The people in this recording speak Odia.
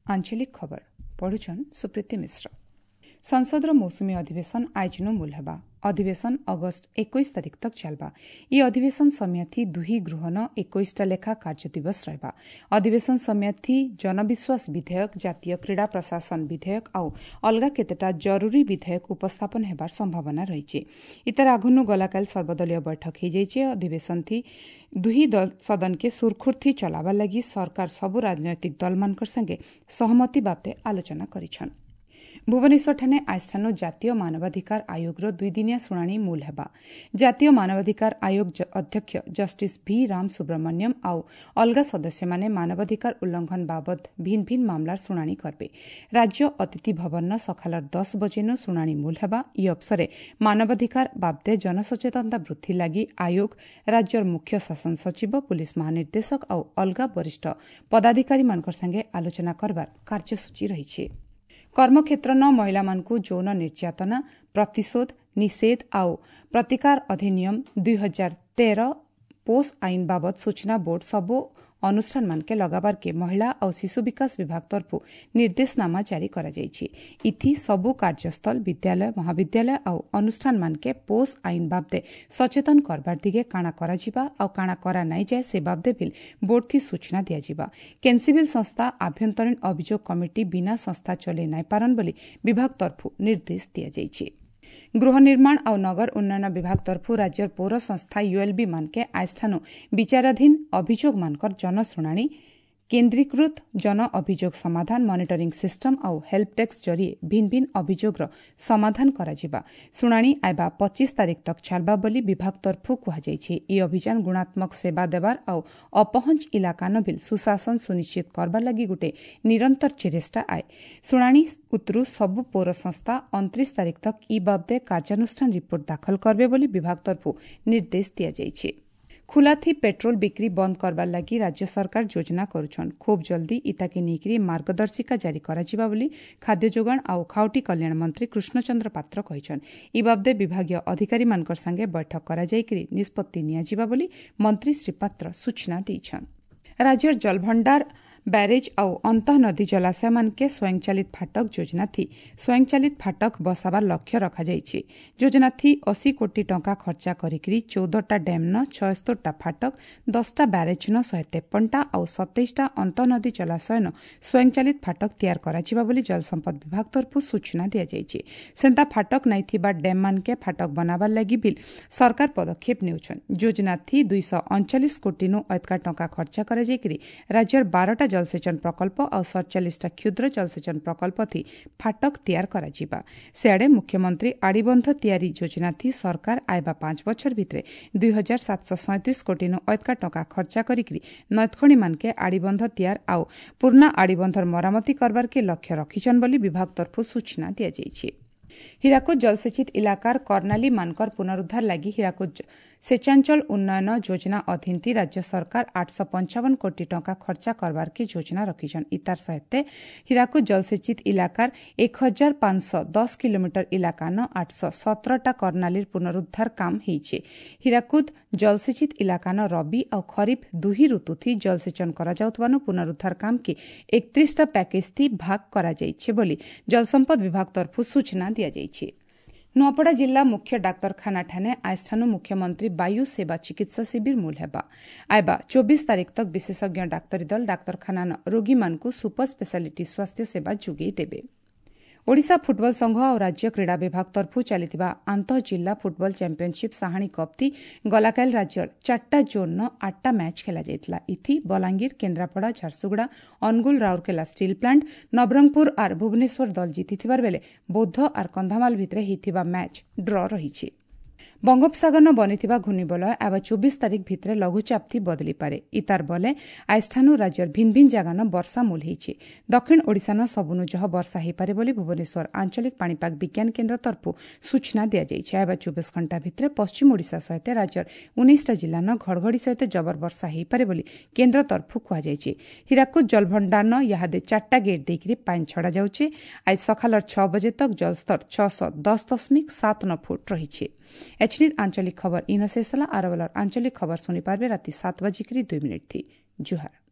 ଆଞ୍ଚଳିକ ଖବର ପଢୁଛନ୍ ସୁପ୍ରୀତି ମିଶ୍ର। ସଂସଦର ମୌସୁମୀ ଅଧିବେଶନ ଆଇଜନୁ ମୂଲ ହେବା। ଅଧିବେଶନ ଅଗଷ୍ଟ 21 ତାରିଖ ତକ ଚାଲବା। ଇ ଅଧିବେଶନ ସମୟଥି ଦୁହି ଗୃହନ 21ଟା ଲେଖା କାର୍ଯ୍ୟ ଦିବସ ରହିବା। ଅଧିବେଶନ ସମୟଥି ଜନବିଶ୍ୱାସ ବିଧେୟକ, ଜାତୀୟ କ୍ରୀଡ଼ା ପ୍ରଶାସନ ବିଧେୟକ ଆଉ ଅଲଗା କେତେଟା ଜରୁରୀ ବିଧେୟକ ଉପସ୍ଥାପନ ହେବାର ସମ୍ଭାବନା ରହିଛି। ଇତାର ଆଘନୁ ଗଲାକାଲି ସର୍ବଦଳୀୟ ବୈଠକ ହୋଇଯାଇଛି। ଅଧିବେଶନ ଥି ଦୁହି ସଦନକେ ସୁରଖୁରଥି ଚଲାବାର ଲାଗି ସରକାର ସବୁ ରାଜନୈତିକ ଦଲମାନଙ୍କର ସାଙ୍ଗେ ସହମତି ବାବଦେ ଆଲୋଚନା କରିଛନ୍। ଭୁବନେଶ୍ୱରଠାନେ ଆଜଠାନୁ ଜାତୀୟ ମାନବାଧିକାର ଆୟୋଗର ଦୁଇଦିନିଆ ଶୁଣାଣି ମୂଲ ହେବା। ଜାତୀୟ ମାନବାଧିକାର ଆୟୋଗ ଅଧ୍ୟକ୍ଷ ଜଷ୍ଟିସ୍ ଭି ରାମ ସୁବ୍ରମଣ୍ୟମ ଆଉ ଅଲଗା ସଦସ୍ୟମାନେ ମାନବାଧିକାର ଉଲ୍ଲଂଘନ ବାବଦ ଭିନ୍ନ ଭିନ୍ନ ମାମଲାର ଶୁଣାଣି କରିବେ। ରାଜ୍ୟ ଅତିଥି ଭବନର ସକାଳର 10 ବଜେନୁ ଶୁଣାଣି ମୂଲ ହେବା। ଇ ଅବସରେ ମାନବାଧିକାର ବାବଦେ ଜନସଚେତନତା ବୃଦ୍ଧି ଲାଗି ଆୟୋଗ ରାଜ୍ୟର ମୁଖ୍ୟ ଶାସନ ସଚିବ, ପୁଲିସ ମହାନିର୍ଦ୍ଦେଶକ ଆଉ ଅଲଗା ବରିଷ୍ଠ ପଦାଧିକାରୀମାନଙ୍କ ସାଙ୍ଗେ ଆଲୋଚନା କରବାର କାର୍ଯ୍ୟସୂଚୀ ରହିଛି। କର୍ମକ୍ଷେତ୍ରନ ମହିଳାମାନଙ୍କୁ ଯୌନ ନିର୍ଯାତନା ପ୍ରତିଶୋଧ, ନିଷେଧ ଆଉ ପ୍ରତିକାର ଅଧିନିୟମ 2013 ପୋଷ ଆଇନ ବାବଦ ସୂଚନା ବୋର୍ଡ ସବୁ ଅନୁଷ୍ଠାନମାନକେ ଲଗାବାରକେ ମହିଳା ଆଉ ଶିଶୁ ବିକାଶ ବିଭାଗ ତରଫରୁ ନିର୍ଦ୍ଦେଶନାମା ଜାରି କରାଯାଇଛି। ଇଥି ସବୁ କାର୍ଯ୍ୟସ୍ଥଳ, ବିଦ୍ୟାଳୟ, ମହାବିଦ୍ୟାଳୟ ଆଉ ଅନୁଷ୍ଠାନମାନକେ ପୋଷ ଆଇନ ବାବଦେ ସଚେତନ କରବାର ଦିଗେ କାଣା କରାଯିବା ଆଉ କାଣା କରା ନାଇଁ ଯାଏ ସେ ବାବଦେ ବିଲ୍ ବୋର୍ଡଥି ସୂଚନା ଦିଆଯିବା। କେନ୍ସିବିଲ୍ ସଂସ୍ଥା ଆଭ୍ୟନ୍ତରୀଣ ଅଭିଯୋଗ କମିଟି ବିନା ସଂସ୍ଥା ଚଲେଇ ନାଇଁ ପାରନ୍ ବୋଲି ବିଭାଗ ତରଫରୁ ନିର୍ଦ୍ଦେଶ ଦିଆଯାଇଛି। ଗୃହ ନିର୍ମାଣ ଆଉ ନଗର ଉନ୍ନୟନ ବିଭାଗ ତରଫରୁ ରାଜ୍ୟର ପୌର ସଂସ୍ଥା ୟୁଏଲ୍ବି ମାନକେ ଆଜଠାନୁ ବିଚାରାଧୀନ ଅଭିଯୋଗମାନଙ୍କର ଜନଶୁଣାଣି, କେନ୍ଦ୍ରୀକୃତ ଜନ ଅଭିଯୋଗ ସମାଧାନ ମନିଟରିଂ ସିଷ୍ଟମ ଆଉ ହେଲ୍ପ ଡେସ୍କ ଜରିଏ ଭିନ୍ନ ଭିନ୍ନ ଅଭିଯୋଗର ସମାଧାନ କରାଯିବା। ଶୁଣାଣି ଆଇବା 25 ତାରିଖ ତକ ଚାଲବା ବୋଲି ବିଭାଗ ତରଫରୁ କୁହାଯାଇଛି। ଇ ଅଭିଯାନ ଗୁଣାତ୍ମକ ସେବା ଦେବାର ଆଉ ଅପହଞ୍ଚ ଇଲାକାନ ବିଲ୍ ସୁଶାସନ ସୁନିଶ୍ଚିତ କରବାର ଲାଗି ଗୋଟେ ନିରନ୍ତର ଚେଷ୍ଟା ଆଏ। ଶୁଣାଣି ଉତରୁ ସବୁ ପୌର ସଂସ୍ଥା 29 ତାରିଖ ତକ ଇ ବାବଦେ କାର୍ଯ୍ୟାନୁଷ୍ଠାନ ରିପୋର୍ଟ ଦାଖଲ କରିବେ ବୋଲି ବିଭାଗ ତରଫରୁ ନିର୍ଦ୍ଦେଶ ଦିଆଯାଇଛି। ଖୁଲାଥି ପେଟ୍ରୋଲ ବିକ୍ରି ବନ୍ଦ କରବାର ଲାଗି ରାଜ୍ୟ ସରକାର ଯୋଜନା କରୁଛନ୍। ଖୁବ୍ ଜଲ୍ଦି ଇତାକେ ନେଇକରି ମାର୍ଗଦର୍ଶିକା ଜାରି କରାଯିବା ବୋଲି ଖାଦ୍ୟ ଯୋଗାଣ ଆଉ ଖାଉଟି କଲ୍ୟାଣ ମନ୍ତ୍ରୀ କୃଷ୍ଣଚନ୍ଦ୍ର ପାତ୍ର କହିଛନ୍। ଇ ବାବଦେ ବିଭାଗୀୟ ଅଧିକାରୀମାନଙ୍କର ସାଙ୍ଗେ ବୈଠକ କରାଯାଇକରି ନିଷ୍ପତ୍ତି ନିଆଯିବା ବୋଲି ମନ୍ତ୍ରୀ ଶ୍ରୀ ପାତ୍ର ସୂଚନା ଦେଇଛନ୍। ରାଜ୍ୟର ଜଳଭଣ୍ଡାର, ବ୍ୟାରେଜ୍ ଆଉ ଅନ୍ତଃନଦୀ ଜଳାଶୟମାନକେ ସ୍ୱୟଂଚାଳିତ ଫାଟକ ଯୋଜନା ଥି ସ୍ୱୟଂଚାଳିତ ଫାଟକ ବସାବାର ଲକ୍ଷ୍ୟ ରଖାଯାଇଛି। ଯୋଜନା ଥି 80 କୋଟି ଟଙ୍କା ଖର୍ଚ୍ଚା କରିକିରି 14ଟା ଡ୍ୟାମ୍ନ 76ଟା ଫାଟକ, 10ଟା ବ୍ୟାରେଜ୍ନ 153ଟା ଆଉ 27ଟା ଅନ୍ତଃନଦୀ ଜଳାଶୟନ ସ୍ୱୟଂଚାଳିତ ଫାଟକ ତିଆର କରାଯିବା ବୋଲି ଜଳସମ୍ପଦ ବିଭାଗ ତରଫରୁ ସୂଚନା ଦିଆଯାଇଛି। ସେନ୍ତା ଫାଟକ ନାଇଁ ଥିବା ଡ୍ୟାମ୍ମାନକେ ଫାଟକ ବନାବାର ଲାଗି ବିଲ୍ ସରକାର ପଦକ୍ଷେପ ନେଉଛନ୍। ଯୋଜନା ଥି 239 କୋଟିନୁ ଅଧିକା ଟଙ୍କା ଖର୍ଚ୍ଚା କରାଯାଇକିରି ରାଜ୍ୟର 12ଟା ଜଳସେଚନ ପ୍ରକଳ୍ପ ଆଉ 47ଟା କ୍ଷୁଦ୍ର ଜଳସେଚନ ପ୍ରକଳ୍ପ ଥି ଫାଟକ ତିଆର କରାଯିବା। ସେଆଡ଼େ ମୁଖ୍ୟମନ୍ତ୍ରୀ ଆଡ଼ିବନ୍ଧ ତିଆରି ଯୋଜନା ଥି ସରକାର ଆଇବା 5 ବଛର ଭିତରେ 2737 କୋଟିନୁ ଅଧିକା ଟଙ୍କା ଖର୍ଚ୍ଚା କରିକିରି ନଦଖଣିମାନକେ ଆଡ଼ିବନ୍ଧ ତିଆର ଆଉ ପୁରୁଣା ଆଡ଼ିବନ୍ଧର ମରାମତି କରବାରକେ ଲକ୍ଷ୍ୟ ରଖିଛନ୍ ବୋଲି ବିଭାଗ ତରଫରୁ ସୂଚନା ଦିଆଯାଇଛି। ହୀରାକୁଦ ଜଳସେଚିତ ଇଲାକାର କର୍ଣ୍ଣାଲୀ ମାନକର ପୁନରୁଦ୍ଧାର ଲାଗି ହୀରାକୁଦ ସେଚାଞ୍ଚଳ ଉନ୍ନୟନ ଯୋଜନା ଅଧୀନଥି ରାଜ୍ୟ ସରକାର 855 କୋଟି ଟଙ୍କା ଖର୍ଚ୍ଚା କରବାରକେ ଯୋଜନା ରଖିଛନ୍। ଇତାର ସହିତ ହୀରାକୁଦ ଜଳସେଚିତ ଇଲାକାର 1510 କିଲୋମିଟର ଇଲାକାନ 817ଟା କର୍ଣ୍ଣାଲୀର ପୁନରୁଦ୍ଧାର କାମ ହେଇଛେ। ହୀରାକୁଦ ଜଳସେଚିତ ଇଲାକାନ ରବି ଆଉ ଖରିଫ ଦୁହି ଋତୁଥି ଜଳସେଚନ କରାଯାଉଥିବାନୁ ପୁନରୁଦ୍ଧାର କାମକେ 31ଟା ପ୍ୟାକେଜଥି ଭାଗ କରାଯାଇଛି ବୋଲି ଜଳସମ୍ପଦ ବିଭାଗ ତରଫରୁ ସୂଚନା ଦିଆଯାଇଛି। ନୂଆପଡ଼ା ଜିଲ୍ଲା ମୁଖ୍ୟ ଡାକ୍ତରଖାନାଠାନେ ଆଜଠାନୁ ମୁଖ୍ୟମନ୍ତ୍ରୀ ବାୟୁ ସେବା ଚିକିତ୍ସା ଶିବିର ମୂଲ ହେବା। ଆଇବା 24 ତାରିଖ ତକ ବିଶେଷଜ୍ଞ ଡାକ୍ତରୀ ଦଳ ଡାକ୍ତରଖାନାନ ରୋଗୀମାନଙ୍କୁ ସୁପର ସ୍ପେଶାଲିଟି ସ୍ୱାସ୍ଥ୍ୟ ସେବା ଯୋଗାଇ ଦେବେ। ଓଡ଼ିଶା ଫୁଟବଲ ସଂଘ ଆଉ ରାଜ୍ୟ କ୍ରୀଡ଼ା ବିଭାଗ ତରଫରୁ ଚାଲିଥିବା ଆନ୍ତଃ ଜିଲ୍ଲା ଫୁଟବଲ ଚାମ୍ପିୟନସିପ୍ ସାହାଣୀ କପ୍ତି ଗଲାକାଲି ରାଜ୍ୟର 4ଟା ଜୋନ୍ର 8ଟା ମ୍ୟାଚ୍ ଖେଳାଯାଇଥିଲା। ଇଥି ବଲାଙ୍ଗୀର, କେନ୍ଦ୍ରାପଡ଼ା, ଝାରସୁଗୁଡ଼ା, ଅନୁଗୁଳ, ରାଉରକେଲା ଷ୍ଟିଲ୍ ପ୍ଲାଣ୍ଟ, ନବରଙ୍ଗପୁର ଆର୍ ଭୁବନେଶ୍ୱର ଦଳ ଜିତିଥିବାର ବେଳେ ବୌଦ୍ଧ ଆର୍ କନ୍ଧମାଳ ଭିତରେ ହୋଇଥିବା ମ୍ୟାଚ୍ ଡ୍ର ରହିଛି। ବଙ୍ଗୋପସାଗରନ ବନିଥିବା ଘୂର୍ଣ୍ଣିବଳୟ ଆବା 24 ତାରିଖ ଭିତରେ ଲଘୁଚାପଥି ବଦଳିପାରେ। ଇତାର ବଲେ ଆଜଠାନୁ ରାଜ୍ୟର ଭିନ୍ନ ଭିନ୍ନ ଜାଗାନ ବର୍ଷା ମୂଲ ହେଇଛି। ଦକ୍ଷିଣ ଓଡ଼ିଶାନ ସବୁନୁ ଜହ ବର୍ଷା ହେଇପାରେ ବୋଲି ଭୁବନେଶ୍ୱର ଆଞ୍ଚଳିକ ପାଣିପାଗ ବିଜ୍ଞାନ କେନ୍ଦ୍ର ତରଫରୁ ସୂଚନା ଦିଆଯାଇଛି। ଆଇବା 24 ଘଣ୍ଟା ଭିତରେ ପଶ୍ଚିମ ଓଡ଼ିଶା ସହିତ ରାଜ୍ୟର 19ଟା ଜିଲ୍ଲାନ ଘଡ଼ଘଡ଼ି ସହିତ ଜବର ବର୍ଷା ହେଇପାରେ ବୋଲି କେନ୍ଦ୍ର ତରଫରୁ କୁହାଯାଇଛି। ହୀରାକୁଦ ଜଳଭଣ୍ଡାରନ ଇହାଦେ 4ଟା ଗେଟ୍ ଦେଇକରି ପାଣି ଛଡ଼ାଯାଉଛି। ଆଜି ସକାଳର 6 ବଜେ ତକ ଜଳସ୍ତର 610.79 ଫୁଟ ରହିଛି। ଏଛନିର ଆଞ୍ଚଳିକ ଖବର ଇନ ଶେଷ ହେଲା। ଆରବଲର ଆଞ୍ଚଳିକ ଖବର ଶୁଣିପାରିବେ ରାତି 7:02 ଥି। ଜୁହାର।